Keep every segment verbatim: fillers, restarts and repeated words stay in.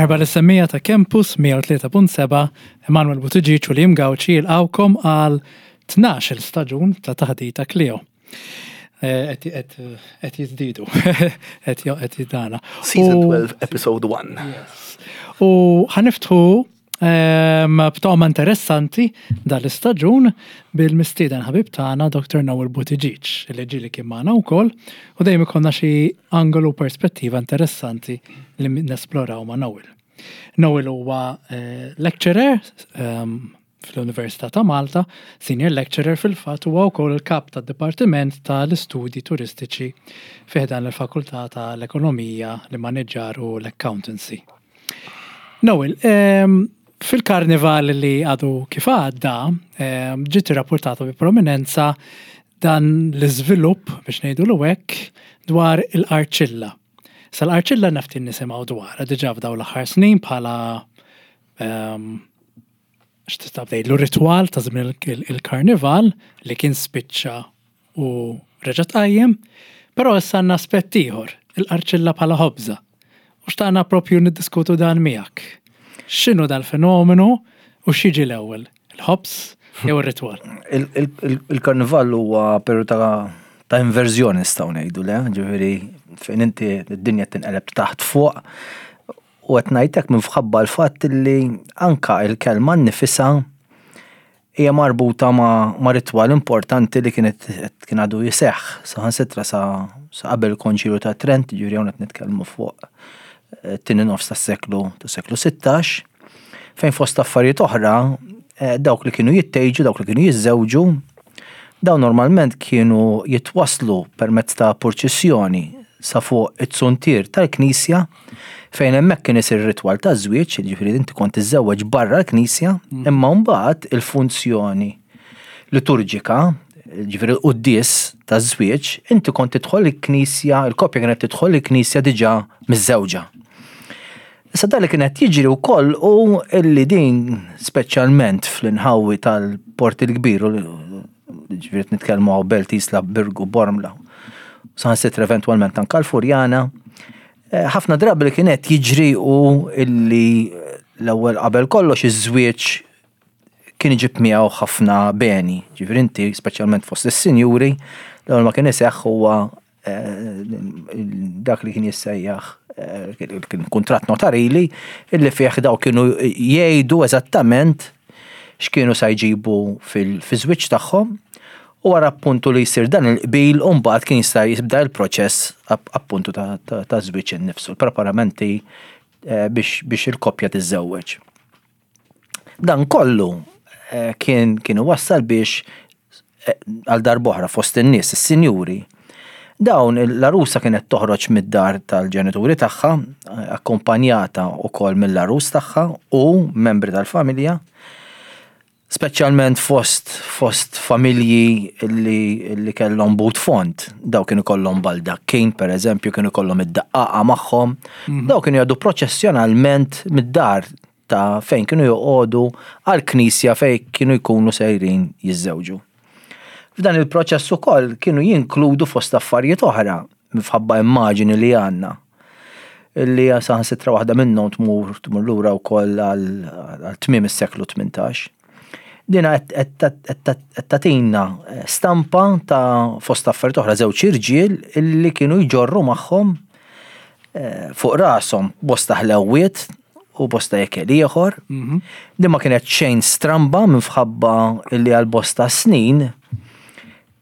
Merħba lis-semmiegħa ta' Campus mija u tlieta punt sebgħa. Emanuel Buttigieg u Liam Gauci jilqgħukom għal tnax-il staġun ta' Taħdita Kleo. Eh, qed jiżdiedu, qed qed jidana. Season twelve, episode one. U ħa niftħu ehm, b'toma interessanti dal-istaġun bil-mistieden ħabib tagħna Doktor Noel Buttigieg, li ġieli kien magħna wkoll u dejjem ikollna xi angolu, perspettiva interessanti li nesploraw ma' Noel. Noel huwa eh, lecturer ehm, fl-Università ta' Malta, senior lecturer fil-fatt, huwa wkoll il-kap tad-Dipartiment tal-Istudji Turistiċi fi ħdan il-Fakultà tal-Ekonomija, l-Immaniġġar u l-Accountancy. Noel, ehm, fil-karnival li għadu kif għadda, ehm, ġiet rapportata bi prominenza dan l-iżvilupp, biex ngħidu l hekk, dwar il-qarċilla. Sal-qarċilla nafti nisimgħu dwar, diġà f'daw l-aħħar snin bħala ehm, x'tista' tgħidlu, ritwal ta' żmien il- il-karnival li kien spiċċa u reġa' tqajjem, però issa għandna aspett ieħor, il-qarċilla bħala ħobża. U xtaqna propju niddiskutu dan miegħek. X'inhu dal-fenomenu u x'jiġi l-ewwel? Il-ħobż jew ir-ritwal? Il- il- il- Il-karnival huwa periodu ta' ta' inverżjoni, nistgħu ngħidu, le, ġifieri fejn inti d-dinja tinqeleb taħt fuq, u qed ngħidlek minħabba l-fatt li anka il-kelma nnifisha hija marbuta ma', ma' ritwal importanti li kienet kien għadu jiseħħ saħansitra sa, sa qabel il-Konċilju ta' Trent, ġifieri hawn qed nitkellmu fuq eh, tieni nofs tas-seklu tas-seklu sittax, fejn fost affarijiet oħra eh, dawk li kienu jittejġu, dawk li kienu jiżżewġu, dawn normalment kienu jitwaslu permezz ta' purċissjoni sa fuq it-suntier tal-knisja, fejn hemmhekk kien isir ritwal ta' żwieġ, ġifieri inti kont tiżżewweġ barra l-knisja, imma mbagħad il-funzjoni liturġika, ġifieri l-quddies ta' żwieġ, inti kont tidħol il-knisja, il-koppja kienet tidħol il-knisja diġà miżżewġa. Issa dan li kienet jiġri wkoll u illi din, speċjalment fl-inħawi tal-Port il-Kbir, u ġifieri nitkellmu hawn Belt, Isla, Birgu, Bormla, saħansitra eventwalment anka l-Furjana, eh, ħafna drabi li kienet jiġri u illi l-ewwel qabel kollox iż-żwieġ kien iġib miegħu ħafna beni. Ġifieri inti, speċjalment fost is-sinjuri, l-ewwel ma kien iseħħ huwa eh, dak li kien jissejjaħ eh, kien kuntratt notarili, illi fih daw kienu jgħidu eżattament x'kienu sa jġibu fil-żwieġ tagħhom, u wara appuntu li jsir dan il-qbil u mbagħad kien jista' jibda il-proċess appuntu ta' ta' żwieġ innifsu, l-preparamenti eh, biex biex il-koppja tiżżewweġ. Dan kollu eh, kien kien wassal biex eh, għal darb'oħra fost in-nies, is-sinjuri, dawn l-arusa kienet toħroġ mid-dar tal-ġenituri tagħha, akkompanjata wkoll mill-arus tagħha u membri tal-familja, speċjalment fost fost familji li, li kellhom but fond, daw kienu kollhom baldakkin, per eżempju, kienu kollhom id-daqqaqa magħhom, daw kienu jgħaddu proċessjonalment mid-dar ta' fejn kienu joqogħdu għal knisja fejn kienu jkunu sejrin jiżżewġu. F'dan il-proċess ukoll kienu jinkludu, fost affarijiet oħra, minħabba immaġini li għandna, illi saħansitra waħda minnhom tmur tmur lura wkoll għal tmiem is-seklu tmintax. Dina qed tagħtina stampa ta', fost affarijiet oħra, żewġ irġiel illi kienu jġorru magħhom eh, fuq rashom bosta ħlewwiet u bosta ikel ieħor. Din ma kienet xejn stramba minħabba illi għal bosta snin,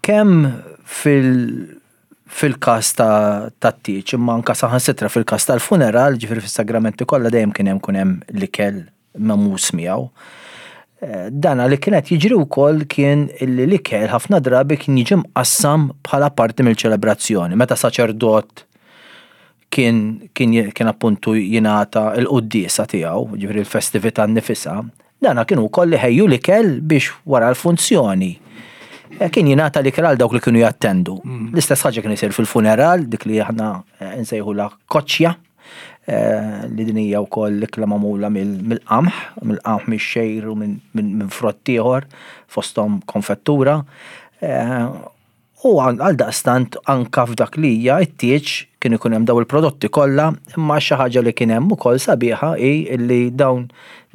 kemm fil- fil-kas ta' tat-tieġ, imma anka saħansitra fil-kas tal-funeral, ġifieri fis-sagramenti kollha, dejjem kien hemm kun hemm l-ikel memus miegħu. Eh, Dana li kienet jiġri wkoll kien illi l-ikel ħafna drabi kien jiġi mqassam bħala parti mill-ċelebrazzjoni. Meta saċerdot kien kien kien appuntu jingħata l-quddiesa tiegħu, ġifieri l-festività nnifisha, dana kienu wkoll iħejju l-ikel biex wara l-funzjoni eh, kien jingħata l-ikel għal dawk li kienu jattendu. L-istess ħaġa kien isir fil-funeral, dik li aħna eh, nsejħu la koċċja, eh, li din hija wkoll l-ikla magħmula mill-qamħ, mill-qamħ, mix-xgħir u minn frott ieħor, fosthom konfettura. U għal daqstant anka f'dak li hija it-tieġ kien ikun hemm daw il-prodotti kollha, imma xi ħaġa li kien hemm ukoll sabiħa hi li dawn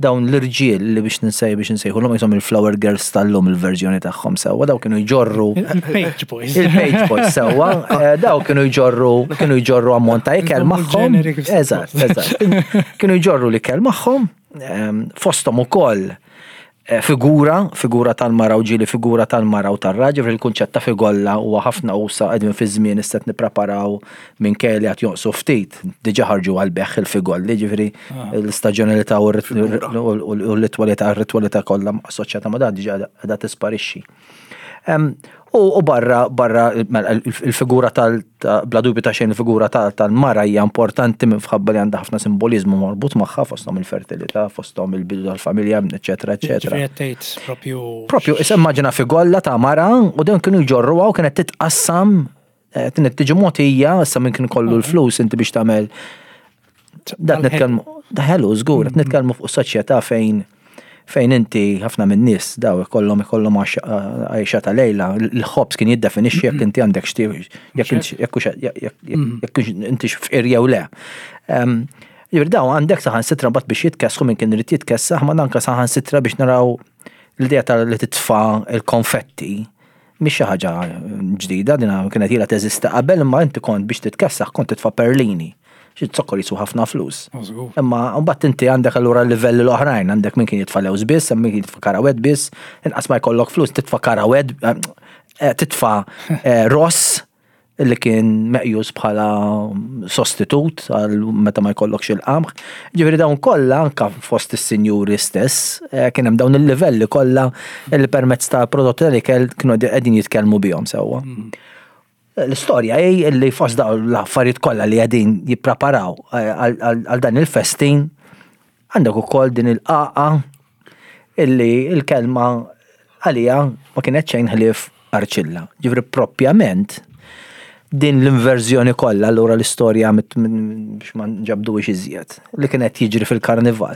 dawn l-irġiel li biex ninsej biex nsejħulhom jisom il-flower girls tal-lum il-verżjoni tagħhom sewwa, daw kienu jġorru Il-page boys. Il-page boys sewwa, eh, daw kienu jġorru kienu jġorru ammont ta' ikel magħhom. Eżatt, eżatt. Kienu jġorru l-ikel magħhom, ehm, fosthom ukoll Eh, figura, figura tal-mara u ġieli figura tal-mara u tar-raġel, il-kunċett ta' figolla huwa ħafna usa qegħdin fi żmien issa nippreparaw minn kelli qed jonqsu ftit, diġà ħarġu għal-beħ il-figolli, ġifieri ah. l-istaġjonalità u l-ritwalità r-ritwalità kollha assoċjata ma' dan diġà qiegħda tisparixxi. U barra, barra, mela, il-figura tal, bla dubju ta' xejn il-figura tal-mara hija importanti minħabba li għandha ħafna simbolizmu marbut magħha fosthom il-fertilità, fosthom il-bidu tal-familja, eċetera, eċetera. Propju. Propju, issa immaġina figolla ta' mara u dawn kienu jġorruha u kienet titqassam, eh, kienet tiġi mogħtija, issa minn kien kollu l-flus inti biex tagħmel. Dat nitkellmu, da ħelu żgur, qed nitkellmu fuq soċjetà fejn fejn inti ħafna minn nies daw ikollhom ikollhom għajxa ta' lejla, l-ħobż kien jiddefinixxi jekk inti għandek xti jekk jekk inti fqir jew le. Ġifieri daw għandek saħansitra mbagħad biex jitkessħu minn kien irid jitkessaħ, ma anke saħansitra biex naraw l-idea tal li titfa' il-konfetti mhix xi ħaġa ġdida, din kienet ilha teżisti qabel, imma inti kont biex titkessaħ kont titfa' perlini. Xi zokkor jiswa ħafna flus. Imma mbagħad inti għandek allura l-livelli l-oħrajn, għandek min kien jitfa' lewż biss, hemm min kien jitfa' karawett biss, inqas ma jkollok flus titfa' karawett, eh, eh, titfa' eh, ross li kien meqjus bħala sostitut għal meta ma jkollokx il-qamħ. Ġifieri dawn kollha anka fost is-sinjuri stess kien hemm dawn il-livelli kollha li permezz ta' prodotti tal-ikel kienu qegħdin jitkellmu bihom sewwa. Mm. L-istorja hi li fost dawn l-affarijiet kollha li qegħdin jippreparaw eh, għal dan il-festin għandek ukoll din il-qaqa illi il-kelma għalija ma kienet xejn ħlief arċilla. Ġifieri propjament din l-inverżjoni kollha allura l-istorja biex ma nġabduhiex iżjed li kienet jiġri fil-karnival.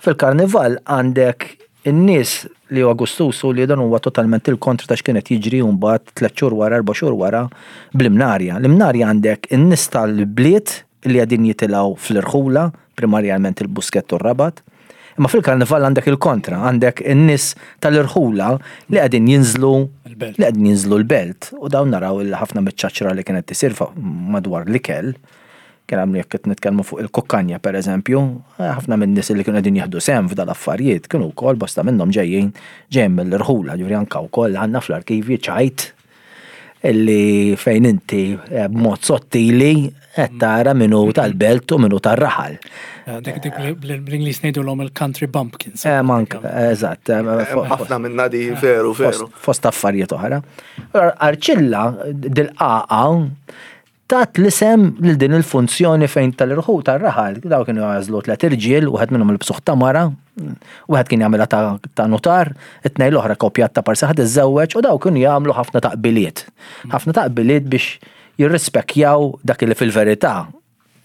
Fil-karnival għandek in-nies li huwa gustusu li dan huwa totalment il-kontra ta' x'kienet jiġri mbagħad tliet xhur wara, erba' xhur wara bl-imnarja. L-imnarja għandek in-nies tal-bliet li qegħdin jitilgħu fl-irħula, primarjament il-Buskett u r-Rabat. Imma fil-karnival għandek il-kontra, għandek in-nies tal-irħula li qegħdin jinżlu li qegħdin jinżlu l-belt. U dawn naraw il ħafna miċ-ċaċra li kienet tisir madwar l-ikel. Kien għamlu jekk qed nitkellmu fuq il-kukkanja per eżempju, ħafna minn nies li kienu qegħdin jieħdu sehem f'dal affarijiet kienu wkoll bosta minnhom ġejjin ġejjin mill-irħula, ġifieri anke wkoll għandna fl-arkivji ċajt illi fejn inti eh, b'mod sottili qed tara minnu tal-belt u minnu tar-raħal. Eh, dik dik bl-Ingliż ngħidulhom il-country bumpkins. Eh, mank, eżatt. Ħafna minna di veru, veru. Fost affarijiet oħra. Arċilla dil-qaqa tat l-isem lil din il-funzjoni fejn tal-irħu tar-raħal. Daw kienu jagħżlu tliet irġiel, wieħed minnhom il-bsuħ ta' mara, wieħed kien jagħmilha ta' notar, it-tnejn l-oħra kopjat ta' parsa ħadd iżżewweġ u daw kienu jagħmlu ħafna taqbiliet. Ħafna taqbiliet biex jirrispekjaw dak li fil-verità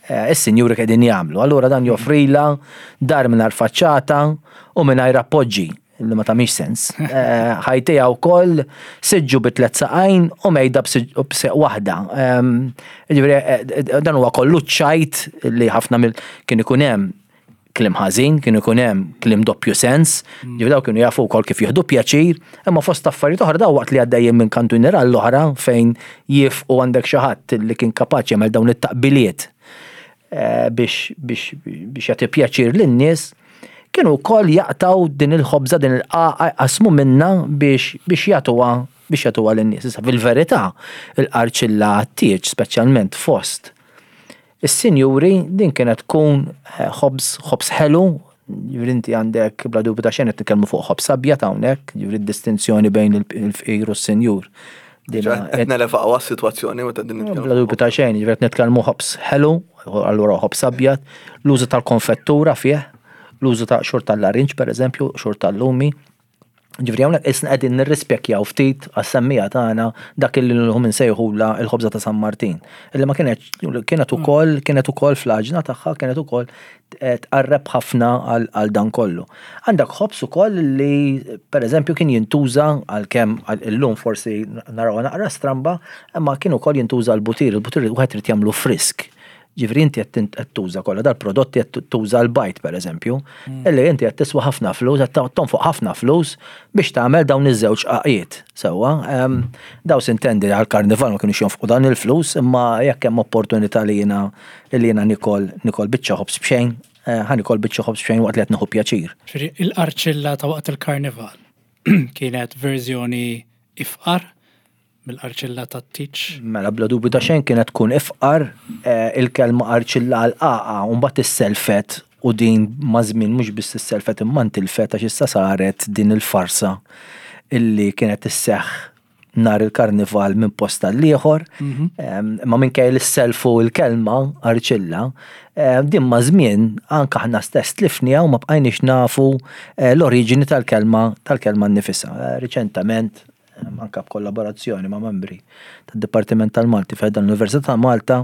eh, is-sinjuri qegħdin jagħmlu. Allura dan joffrila dar mingħajr faċċata u mingħajr appoġġi li ma tagħmilx sens. Eh, ħajtija wkoll siġġu bi tliet saqajn u mejda b'seq waħda. Ehm, ġifieri, eh, dan huwa kollu ċajt li ħafna mill kien ikun hemm kliem ħażin, kien ikun hemm kliem doppju sens, mm. ġifieri daw kienu jafu wkoll kif jieħdu pjaċir, imma fost affarijiet oħra daw waqt li għaddejjin minn kantuniera l-oħra fejn jifqu għandek xi ħadd li kien kapaċi jagħmel dawn it-taqbiliet eh, biex biex biex jagħti pjaċir lin-nies kienu wkoll jaqtaw din il-ħobża din il-qaqa jqasmu minna biex biex jagħtuha biex jagħtuha lin-nies. Issa fil-verità il-qarċilla għat-tieġ speċjalment fost is-sinjuri din kienet tkun eh, ħobż ħobż ħelu, ġifieri inti għandek bla dubju ta' xejn qed nitkellmu fuq ħobż abjad hawnhekk, ġifieri d-distinzjoni bejn il-fqir u s-sinjur. Qed nelefaw għas-sitwazzjoni meta din nitkellmu. Bla dubju ta' xejn, ġifieri qed nitkellmu ħobż ħelu, allura ħobż abjad, l-użu tal-konfettura fih, l-użu ta' xur tal-larinġ per eżempju, xur tal-lumi. Ġifieri hawnhekk isna qegħdin nirrispekjaw ftit għas-semmija tagħna dak li llum insejħula il-ħobża ta' San Martin. Illi ma kienet kienet ukoll kienet ukoll fl-għaġna tagħha kienet ukoll tqarreb ħafna għal dan kollu. Għandek ħobż ukoll li pereżempju kien jintuża għalkemm illum forsi naraw naqra stramba, imma kien ukoll jintuża l-butir, il-butir wieħed irid jagħmlu frisk. Ġifieri inti qed tuża kollha dal-prodotti qed tuża l-bajd pereżempju, illi inti qed tiswa ħafna flus, qed tonfoq ħafna flus biex tagħmel dawn iż-żewġ qaqiet. Sewwa, daw sintendi għall-karnival ma kinux jonfqu dan il-flus, imma jekk hemm opportunità li jiena li jiena nikol nikol biċċa ħobż b'xejn, ħa nikol biċċa ħobż b'xejn waqt li qed nieħu pjaċir. Ġifieri il-qarċilla ta' waqt il-karnival kienet verżjoni ifqar mill-qarċilla ta' tiċ? Mela bla dubju ta' xejn kienet tkun ifqar, il-kelma qarċilla għal-qaqa u mbagħad isselfet u din maż-żmien mhux biss isselfet imma ntilfet għax issa saret din il-farsa illi kienet isseħħ nhar il-karnival minn post għall-ieħor, imma minkejja li sselfu l-kelma qarċilla, din maż-żmien anke aħna stess tlifniha u ma bqajniex nafu l-oriġini tal-kelma tal-kelma nnifisha. Riċentament anka b'kollaborazzjoni ma' membri tad-Dipartiment tal-Malti fejn l-Università ta' Malta,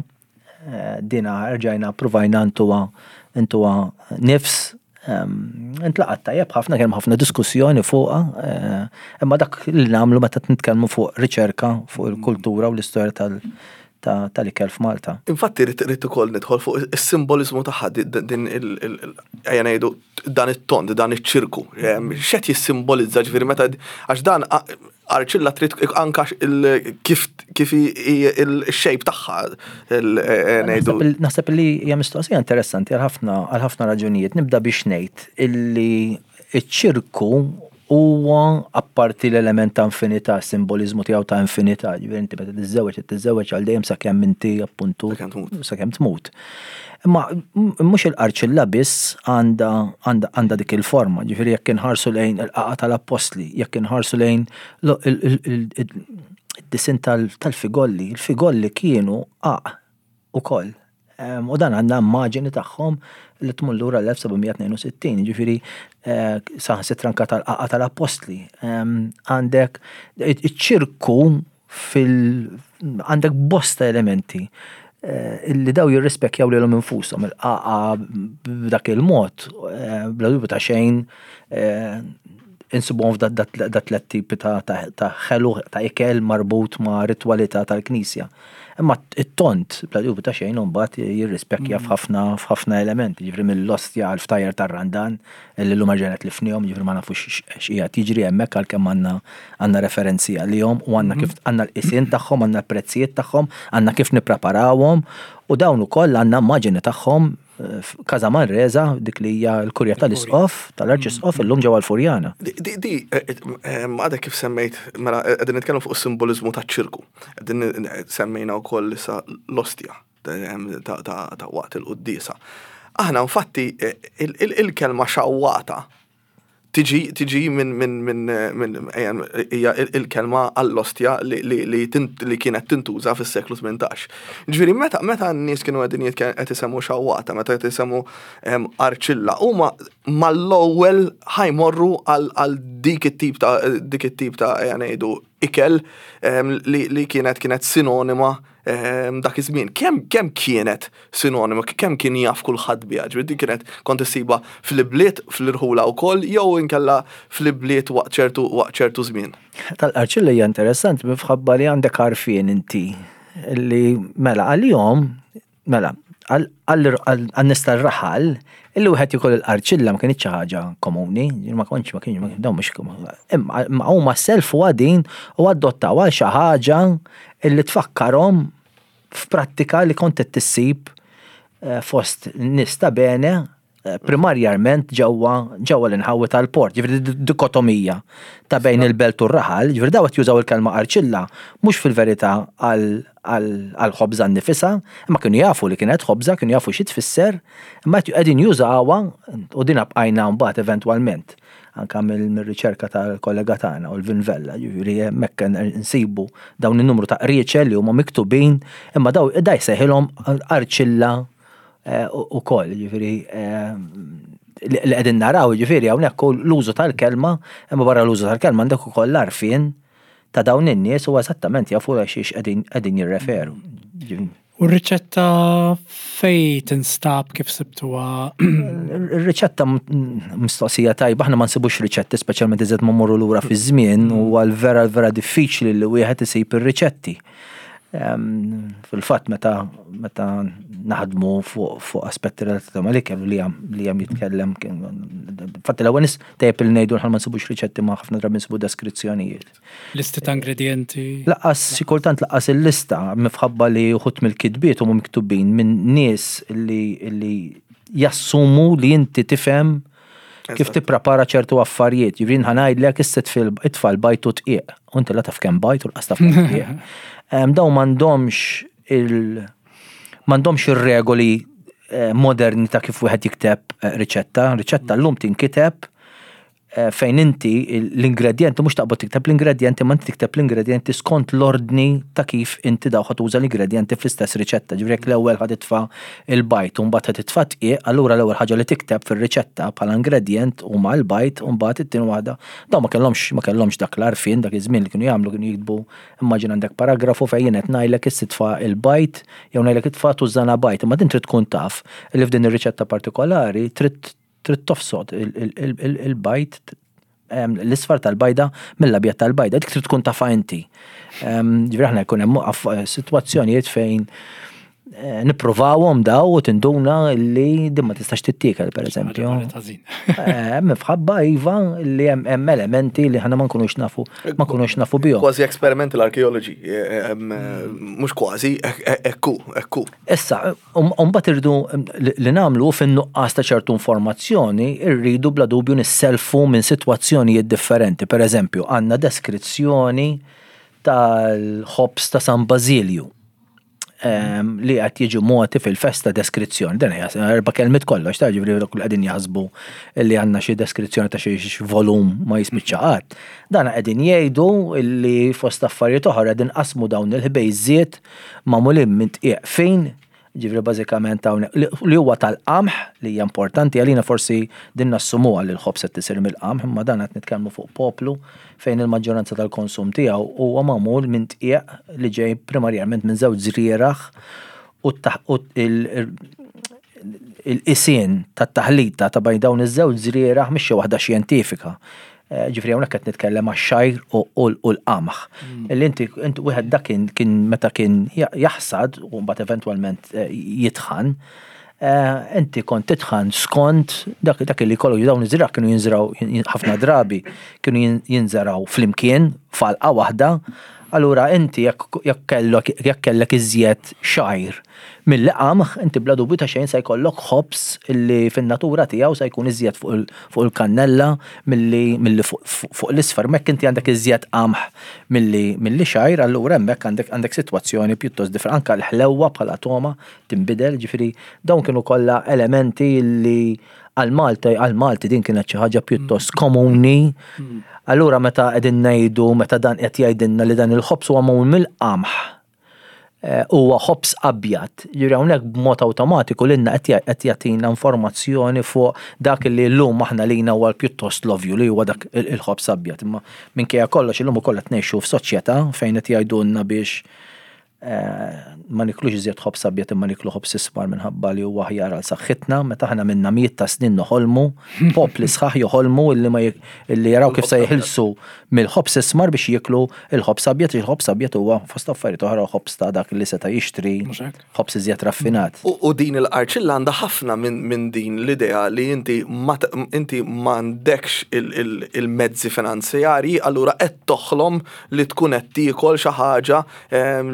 dina rġajna ppruvajna ntuha ntuha nifs, intlaqat tajjeb ħafna, kien hemm ħafna diskussjoni fuqha, imma dak li nagħmlu meta nitkellmu fuq riċerka fuq il-kultura u l-istorja tal- tal-ikel f'Malta. Infatti rrid ukoll nidħol fuq is-simboliżmu tagħha din ejja ngħidu dan it-tond, dan iċ-ċirku. X'qed jissimbolizza ġifieri meta għax dan qarċilla trid anka kif kif il-shape tagħha ngħidu. Naħseb li hija mistoqsija interessanti għal ħafna għal ħafna raġunijiet. Nibda biex ngħid illi ċ-ċirku huwa apparti l-element ta' infinità, simbolizmu tiegħu ta' infinità, ġifieri inti meta tiżżewweġ tiżżewweġ għal dejjem sakemm inti appuntu sakemm tmut. Imma mhux il-qarċilla biss għandha għandha dik il-forma, ġifieri jekk inħarsu lejn il-qaqa tal-appostli, jekk inħarsu lejn id-disinn tal-figolli, il-figolli kienu qaq ukoll. U dan għandna immaġini tagħhom li tmur lura l-elf sebgħamija tnejn u sittin, ġifieri saħansitra anke tal-qaqa tal-appostli. Għandek iċ-ċirku fil għandek bosta elementi illi daw jirrispekjaw lilhom infushom, il-qaqa b'dak il-mod, bla dubju ta' xejn insibuhom f'dat tliet tipi ta' ħelu ta' ikel marbut ma' ritwalità tal-Knisja. Imma it-tont bla dubju ta' xejn imbagħad jirrispekja f'ħafna f'ħafna elementi, ġifieri mill-ostja għal ftajjar tar-Randan illi llum erġajna tlifnihom, ġifieri ma nafux x'qiegħed jiġri hemmhekk għalkemm għandna għandna referenzi għalihom u għandna kif għandna l-qisien tagħhom, għandna l-prezzijiet tagħhom, għandna kif nippreparawhom u dawn ukoll għandna immaġini tagħhom f'Casa Manresa, dik li hija l-kurja tal-Isqof, tal-Arċisqof illum ġewwa l-Furjana. Di, di, għadek kif semmejt, mela qegħdin nitkellmu fuq is-simboliżmu taċ-ċirku. Qegħdin semmejna wkoll issa l-ostja ta' waqt il-quddiesa. Aħna infatti il-kelma xawwata tiġi tiġi minn minn minn minn hija il-kelma għall-ostja li li li kienet tintuża fis-seklu tmintax. Ġifieri meta meta n-nies kienu qegħdin qed isemmu xawwata, meta qed isemmu qarċilla, huma mal-ewwel ħajmorru għal dik it-tip ta' dik it-tip ta' ejja ngħidu ikel li li kienet kienet sinonima dak iż-żmien. Kemm kemm kienet sinonima, kemm kien jaf kulħadd biha, ġifieri dik kienet kont issiba fl-ibliet, fl-irħula wkoll jew inkella fl-ibliet waqt ċertu waqt ċertu żmien. Tal-qarċilla hija interessanti minħabba li għandek għarfien inti li mela għalihom mela għan-nies tar-raħal illi wieħed jikol il-qarċilla ma kienx xi ħaġa komuni, ma kontx ma kienx dawn mhux imma huma selfu għadin u adottaw għal xi ħaġa illi tfakkarhom f'prattika li kont qed tissib fost nies ta' bene primarjament ġewwa ġewwa l-inħawi tal-port, ġifieri dikotomija ta' bejn il-belt u r-raħal, ġifieri daw qed jużaw il-kelma qarċilla mhux fil-verità għal ħobża nnifisha, imma kienu jafu li kienet ħobża, kienu jafu xi tfisser, imma qegħdin jużawha u din bqajna mbagħad eventwalment anka mill-riċerka tal-kollega tagħna u l-Vinvella, ġifieri hemmhekk nsibu dawn in-numru ta' qrieċel li huma miktubin, imma daw da jsejħilhom qarċilla ukoll, ġifieri Li qegħdin naraw, ġifieri hawnhekk l-użu tal-kelma, imma barra l-użu tal-kelma għandek ukoll l-għarfien ta' dawn in-nies u eżattament jafu għal xiex qegħdin qegħdin jirreferu. U r-riċetta fej tinstab, kif sibtuha? Ir-riċetta, mistoqsija tajba, aħna ma nsibux riċetti, speċjalment iżed ma mmorru lura fi żmien, u għal vera vera diffiċli li wieħed isib ir-riċetti. Fil-fatt meta meta naħdmu fuq fuq aspetti relatati mal-ikel li jam li jam jitkellem, fatt l-ewwel nies tajjeb li ngħidu ma nsibux riċetti, ma ħafna drabi nsibu deskrizzjonijiet. Listi ta' ingredienti. Lanqas, xi kultant lanqas il-lista, minħabba li uħud mill-kitbiet huma miktubin minn nies li li jassumu li inti tifhem kif tipprepara ċertu affarijiet. Ġifieri ħa ngħidlek issa itfa' l-bajd u dqiq. U inti la taf kemm bajd u lanqas taf kemm dqiq. Dawn m'għandhomx il m'għandhomx ir-regoli eh, moderni ta' kif wieħed jikteb eh, riċetta. Riċetta llum tinkiteb eh, fejn inti l-ingredienti mhux taqbad tikteb l-ingredienti, ma inti tikteb l-ingredienti skont l-ordni ta' kif inti daw ħa tuża l-ingredienti fl-istess riċetta. Ġifieri jekk l-ewwel ħa titfa' il-bajd u mbagħad ħa titfa' dqiq, allura l-ewwel ħaġa li tikteb fir-riċetta bħala ingredient huma l-bajd u mbagħad it-tieni waħda. Dawn ma kellhomx ma kellhomx dak l-għarfien dak iż-żmien. Li kienu jagħmlu, kienu jiktbu, immaġina għandek paragrafu fejn jien qed ngħidlek issa titfa' il-bajd jew ngħidlek itfa' tużżana bajd, imma din trid tkun taf li f'din ir-riċetta partikolari trid trid tofsod il-bajd, l-isfar tal-bajda mill-abjad tal-bajda, dik trid tkun tafha inti. Ġifieri aħna jkun hemm sitwazzjonijiet fejn eh, nippruvawhom daw u tinduna li din ma tistax tittiekel, per eżempju. Eh, Minħabba iva li hemm elementi li ħana ma nkunux nafu ma nkunux nafu bihom. Kważi experimental archaeology, eh, mhux kważi, ekku, ekku. Issa, mbagħad irridu li nagħmlu fin-nuqqas ta' ċertu informazzjoni, irridu bla dubju nisselfu minn sitwazzjonijiet differenti. Per eżempju, għandna deskrizzjoni tal-ħobs ta' San Basilju li qed jiġu mogħti fil-festa, deskrizzjoni. Dan hija erba' kelmiet kollox, ta' ġifieri kull qegħdin jaħsbu li għandna xi deskrizzjoni ta' xi volum ma jispiċċa qatt. Dan qegħdin jgħidu li fost affarijiet oħra qegħdin qasmu dawn il-ħbejżiet magħmulin minn dqiq fin, ġifieri bażikament hawnhekk li huwa tal-qamħ, li hija importanti għalina, forsi din nassumuha li l-ħobż qed tisir mill-qamħ, imma dan qed nitkellmu fuq poplu fejn il-maġġoranza tal-konsum tiegħu huwa magħmul minn dqiq li ġej primarjament minn żewġ żrieragħ, u il-qisien tat-taħlita ta' bejn dawn iż-żewġ żrieragħ mhix xi waħda xjentifika. Eh, ġifieri hawnhekk qed nitkellem għax-xgħir u l-qamħ. Mm. Illi inti inti wieħed dak kien meta kien jaħsad u mbagħad eventwalment eh, jitħan, eh, inti kont titħan skont dak dak li kollu dawn iż-żrieragħ kienu jinżraw, ħafna drabi kienu jinżraw flimkien f'għalqa waħda. Allura inti jekk kellek jekk kellek iżjed xgħir mill qamħ, inti bla dubju ta' xejn se jkollok ħobs illi fin-natura tiegħu se jkun iżjed fuq il-kannella milli milli fuq l-isfar. Mekk inti għandek iżjed qamħ milli milli xgħir, allura hemmhekk għandek għandek sitwazzjoni pjuttost differenti. Anka l-ħlewwa bħala togħma tinbidel, ġifieri dawn kienu kollha elementi li għal-Malta għal-Malti din kienet xi ħaġa pjuttost komuni. Allura meta qegħdin ngħidu, meta dan qed jgħidilna li dan il-ħobż huwa magħmul mill-qamħ, eh, huwa ħobż abjad. Ġifieri hawnhekk b'mod awtomatiku lilna qed jagħtina informazzjoni fuq dak li llum aħna lina huwa pjuttost l-ovvju li huwa dak il-ħobż abjad. Imma minkejja kollox illum ukoll qed ngħixu f'soċjetà fejn qed jgħidulna biex eh, ma niklux iżjed ħobż abjad imma niklu ħobż ismar minħabba li huwa aħjar għal saħħitna, meta aħna minna mijiet ta' snin noħolmu, popli sħaħ joħolmu illi ma illi jaraw kif se jeħilsu mill-ħobż ismar biex jiklu il-ħobż abjad, il-ħobż abjad huwa fost affarijiet oħra ħobż ta' dak li seta' jixtri, ħobż iżjed raffinat. U din il-qarċilla għandha ħafna minn din l-idea li inti inti m'għandekx il-mezzi finanzjarji, allura qed toħlom li tkun qed tiekol xi ħaġa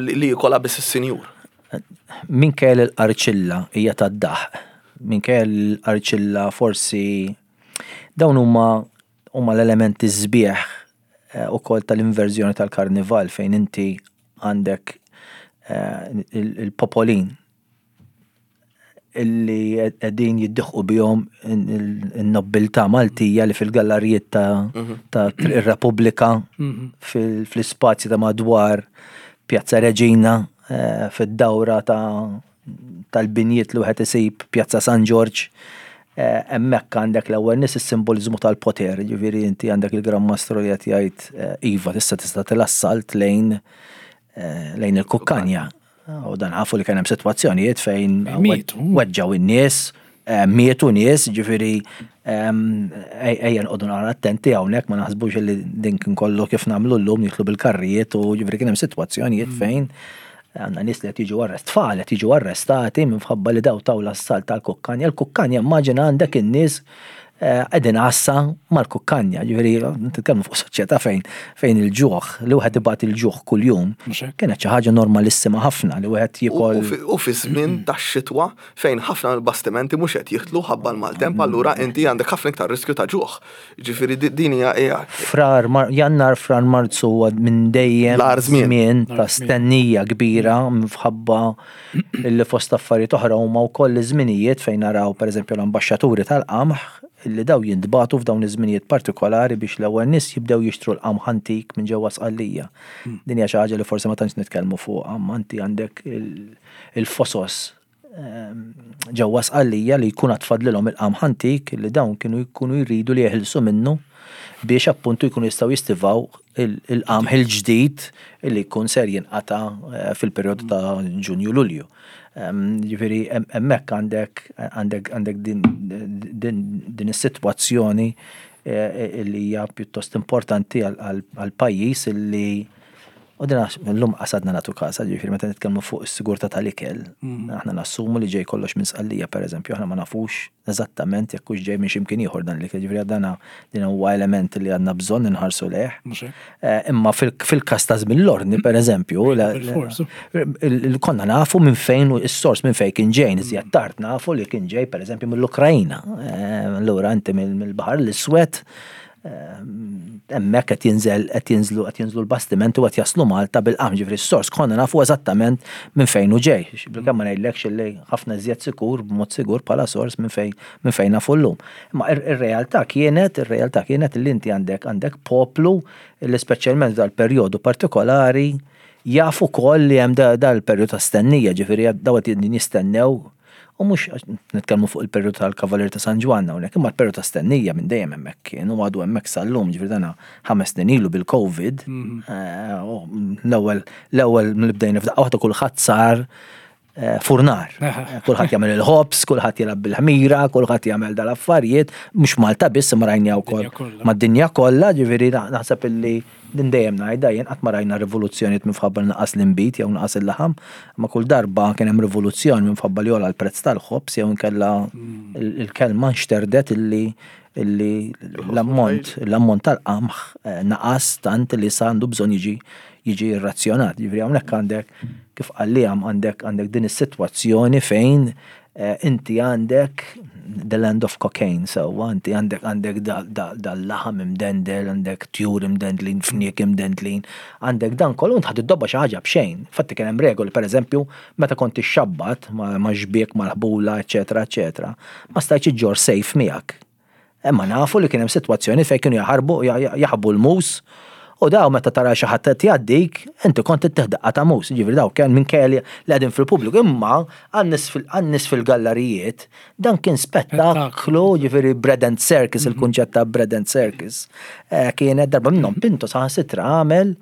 li jkollha biss is-sinjur. Minkejja l-qarċilla hija tad-daħq, minkejja l-qarċilla forsi dawn huma huma l-elementi sbieħ eh, ukoll tal-inverżjoni tal-karnival, fejn inti għandek eh, il-popolin illi qegħdin jiddieħqu bihom in-nobbiltà Maltija li fil-gallarijiet ta' mhm. ta' ir-Repubblika, mhm. fl-ispazji ta' madwar Pjazza Reġina, eh, fid-dawra ta' tal-binjiet li wieħed isib Pjazza San Ġorġ. Eh, hemmhekk għandek l-ewwel nies is-simboliżmu tal-poter, ġifieri inti għandek il-Gran Mastru li qed jgħid eh, iva tista' tista' til-assalt lejn eh, lejn il-kukkanja. U dan nafu li kien hemm sitwazzjonijiet fejn Mietu. weġġaw in-nies, eh, mietu nies, ġifieri ehm, ej- ejja nqogħdu naqra attenti hawnhekk, ma naħsbux li din kien kollu kif nagħmlu llum nidħlu bil-karrijiet, u ġifieri kien hemm sitwazzjonijiet fejn għandna nies li qed jiġu arrest, tfal qed jiġu arrestati minħabba li daw taw l-assalt tal-kukkanja. Il-kukkanja, immaġina għandek in-nies eh, qegħdin għassa mal-kukkanja, ġifieri nitkellmu fuq soċjetà fejn fejn il-ġuħ, li wieħed ibati il-ġuħ kuljum, Mhux hekk? kienet xi ħaġa normalissima ħafna li wieħed U jiekol. u fi- U fi żmien tax-xitwa fejn ħafna mill-bastimenti mhux qed jidħlu ħabba l-maltemp, allura inti għandek ħafna iktar riskju ta' ġuħ. Ġifieri di- din hija hija Frar, Mar- Jannar, Frar, Marzu huwa minn dejjem L-agħar żmien. żmien ta' L-agħar żmien. stennija kbira minħabba li fost affarijiet oħra huma wkoll iż-żminijiet fejn naraw, pereżempju, l-ambaxxaturi tal-qamħ li daw jintbagħtu f'dawn iż-żminijiet partikolari biex l-ewwel nies jibdew jixtru l-qamħ antik minn ġewwa Sqallija. Din hija xi ħaġa li forsi ma tantx nitkellmu fuqha, imma inti għandek il- il-fosos ehm, ġewwa Sqallija li jkun għad fadlilhom il-qamħ antik li dawn kienu jkunu jridu li jeħilsu minnu biex appuntu jkunu jistgħu jistivaw il- il-qamħ il-ġdid li jkun ser jinqata eh, fil-perjodu ta' Ġunju, Lulju. Ehm, Ġifieri hemm- hemmhekk għandek għandek għandek din din din is-sitwazzjoni eh, li hija pjuttost importanti għal- għal pajjiż illi u din għax llum qasadna nagħtu kasa, ġifieri meta nitkellmu fuq is-sigurtà tal-ikel, aħna nassumu li ġej kollox minn Sqallija, pereżempju, aħna ma nafux eżattament jekk hux ġej minn x'imkien ieħor dan l-ikel, ġifieri dana din huwa element li għandna bżonn inħarsu lejh. Mhux hekk? Eh, Imma fil- fil-kas ta' żmien l-ordni, per eżempju, la- Bil-fors. il- il- konna nafu minn fejn u s-sors minn fejn kien ġej, iżjed tard nafu li kien ġej, per eżempju, mill-Ukrajna. Eh, Allura inti mill- mill-Baħar l-Iswed, eh, hemmhekk qed jinżel qed jinżlu qed jinżlu l-bastimenti u qed jaslu Malta bil-qamħ, ġifieri s-sors konna nafu eżattament minn fejn hu ġej. Bilkemm ma ngħidlekx li ħafna iżjed sikur, b'mod sigur bħala sors minn fejn minn fejn nafu llum. Imma ir- ir-realtà kienet ir-realtà kienet li inti għandek għandek poplu li speċjalment dal-perjodu partikolari jafu koll li hemm da- dal-perjodu ta' stennija, ġifieri daw qed jistennew. U mhux għax nitkellmu fuq il-perjodu tal-Kavalier ta' San Ġwann hawnhekk, imma l-perjodu ta' stennija minn dejjem hemmhekk kien u għadu hemmhekk sal-lum, ġifieri dana ħames snin ilu bil-Covid. eh, u L-ewwel l-ewwel mill bdejna f'daqqa waħda kulħadd sar eh, furnar. Kulħadd jagħmel il-ħobż, kulħadd jilgħab bil-ħmira, kulħadd jagħmel dal-affarijiet, mhux Malta biss, imma rajna wkoll Dinja kollha. mad-dinja kollha, ġifieri naħseb illi din dejjem ngħidha jien, qatt ma rajna rivoluzzjonijiet minħabba li naqas l-inbid jew naqas il-laħam, ma kull darba kien hemm rivoluzzjoni minħabba li għola l-prezz tal-ħobż jew inkella il- il-kelma nxterdet illi illi l-ammont l-ammont tal-qamħ eh, naqas tant li sa għandu bżonn jiġi jiġi irrazzjonat. Ġifieri hawnhekk għandek, kif qallijam, għandek għandek din is-sitwazzjoni fejn eh, inti għandek the land of cocaine, sewwa, inti għandek għandek dal-laħam imdendel, għandek tjur imdendlin, fniek imdendlin, għandek dan kollu, int ħad iddobba xi ħaġa b'xejn. Fatti kien hemm regoli, pereżempju, meta kont ixxabbat ma' ma' xbiek mal-ħbula, eċetera, eċetera, ma stajtx iġġor sejf miegħek. Imma nafu li kien hemm sitwazzjoni fejn kienu jaħarbu jaħbu l-mus u daw meta tara xi ħadd qed jgħaddik, inti kont ittih daqqa ta' mus, ġifieri daw kien minn li qegħdin fil-pubbliku, imma għan-nies fil-gallarijiet dan kien spettaklu, ġifieri bread and circus, il-kunċett ta' bread and circus. Eh, Kienet darba minnhom Pinto saħansitra għamel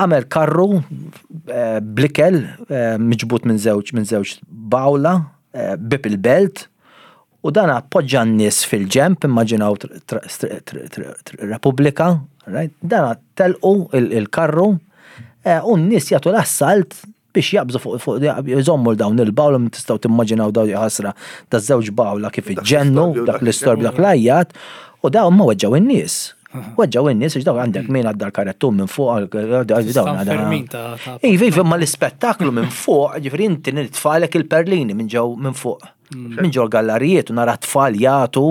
għamel karru eh, bl-ikel eh, miġbut minn żewġ minn żewġ bawla bieb il-Belt, u dan appoġġa n-nies fil-ġemp, immaġinaw Repubblika, right? Dan telqu il-karru eh, u n-nies jagħtu l-assalt biex jaqbżu fuq fuq jżommu dawn il-bawla, tistgħu timmaġinaw daw ħasra ta' żewġ bawla kif iġġennu, dak l-istorb, dak l-ajjat, u dawn ma weġġaw in-nies. Weġġaw in-nies, għax dawn għandek min għadda l-karettun minn fuq, dawn. Iva, iva, ma l-ispettaklu minn fuq, ġifieri inti nitfalek il-perlini minn ġew minn fuq. Minn ġew gallarijiet u nara tfal jagħtu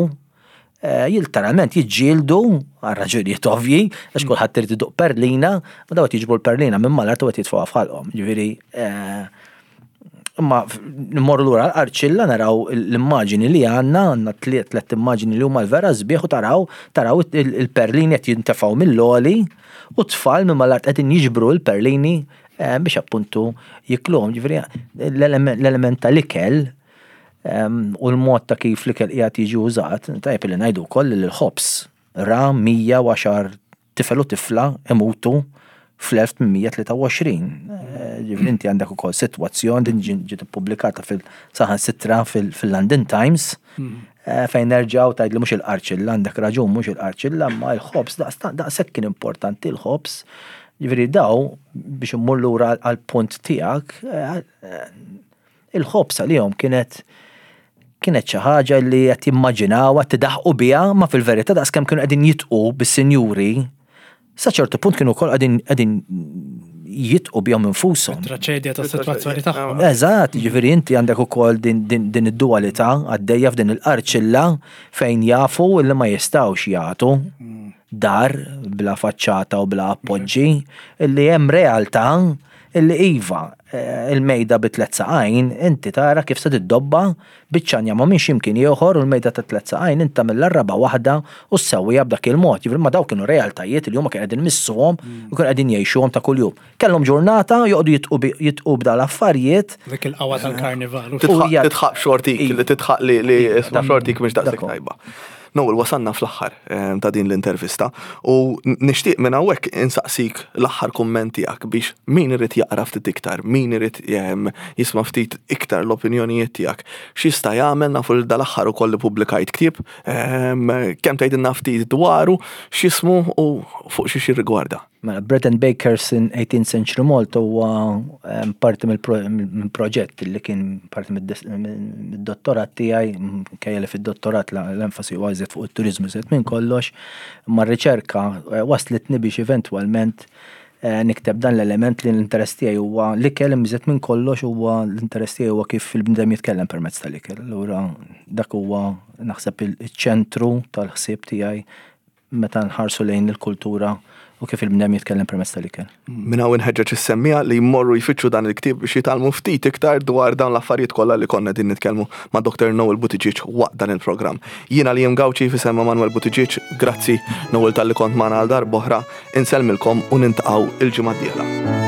eh, literalment jiġġieldu għal raġunijiet ovvji, għax kulħadd irid iduq perlina, u daw jiġbu l-perlina minn mal-art u qed jitfgħuha f'ħalqhom. Ġifieri eh, imma nmorru lura l-Qarċilla, naraw l-immaġini li għandna, għandna tliet tliet immaġini li huma l-vera sbieħ, u taraw taraw il-perlini qed jintefgħu mill-għoli u tfal minn mal-art qegħdin jiġbru l-perlini eh, biex appuntu jikluhom. Ġifieri l-element tal-ikel U l-mod ta' kif l-ikel qiegħed jiġi użat, tajjeb li ngħidu wkoll li l-ħobż ra mija u għaxar tifel u tifla imutu fl-elf tmien mija tlieta u għoxrin. Ġifieri inti għandek ukoll sitwazzjoni din ġiet ippubblikata fil-saħansitra fil-London Times, fejn nerġgħu tgħid li mhux il-qarċilla, għandek raġun mhux il-qarċilla, ma l-ħobż daqshekk kien importanti l-ħobż. Ġifieri daw biex immur lura għall-punt tiegħek, il-ħobż għalihom kienet kienet xi ħaġa li qed jimmaġinaw, qed tidaħqu biha, ma fil-verità daqskemm kienu qegħdin jitqu bis-sinjuri, sa ċertu punt kienu wkoll qegħdin qegħdin jitqu bihom infushom. Traċedja tas-sitwazzjoni tagħhom. Eżatt, ġifieri inti għandek ukoll din, din, din id-dualità għaddejja f'din il-qarċilla fejn jafu li ma jistgħux jagħtu dar bla faċċata u bla appoġġi, illi hemm realtà illi iva, il-mejda bi tliet saqajn, inti tara kif se tiddobba biċċanja ma minx imkien ieħor u l-mejda ta' tliet saqajn inti mill-raba waħda u ssewwija b'dak il-mod. Ġifieri ma daw kienu realtajiet li huma kienu qegħdin missuhom u kienu qegħdin jgħixuhom ta' kuljum. Kellhom ġurnata joqogħdu jitqu bi-, jitqu b'dal-affarijiet. Dik il-qawwa tal-karnival. Tidħaq U hija- tidħaq xortik, Iva. li tidħaq li, li Iva, isma' dak- xortik mhix daqshekk dak- tajba. Noel, wasanna fl-aħħar, ehm, ta' din l-intervista u n-, nixtieq minn hawnhekk insaqsik l-aħħar kumment tiegħek biex min irid jaqra ftit iktar, min irid, ehm, jisma' ftit iktar l-opinjonijiet tiegħek. X'jista' jagħmel, nafu li dal-aħħar ukoll li pubblikajt ktieb, ehm, kemm tgħidilna ftit dwaru, x'ismu u fuq xi jirrigwarda. Mela, Bread and Bakers in eighteenth Century Malta huwa, ehm, parti mill-pro-, minn proġett li kien parti mid-dis-, mid-dottorat tiegħi, minkejja li fid-dottorat la-, l-enfasi huwa iżjed fuq it-turiżmu iżjed minn kollox, ma r-riċerka, eh, waslitni biex eventwalment, eh, nikteb dan l-element li l-interess tiegħi huwa l-ikel iżjed minn kollox huwa l-interess tiegħi huwa kif il-bniedem jitkellem permezz tal-ikel. Allura dak huwa naħseb il-, iċ-ċentru tal-ħsieb tiegħi meta nħarsu lejn il-kultura u kif il-bniedem jitkellem permezz tal-ikel. Minn hawn inħeġġeġ is-semmiegħa li jmorru jfittxu dan il-ktieb biex jitgħallmu ftit iktar dwar dawn l-affarijiet kollha li konna din nitkellmu ma' Doktor Noel Buttigieg waqt dan il-programm. Jiena li Gauci f'isem Manuel Buttigieg, grazzi Noel talli kont magħna għal darb'oħra, insellmilkom u nintaqgħu il-ġimgħa d-dieħla.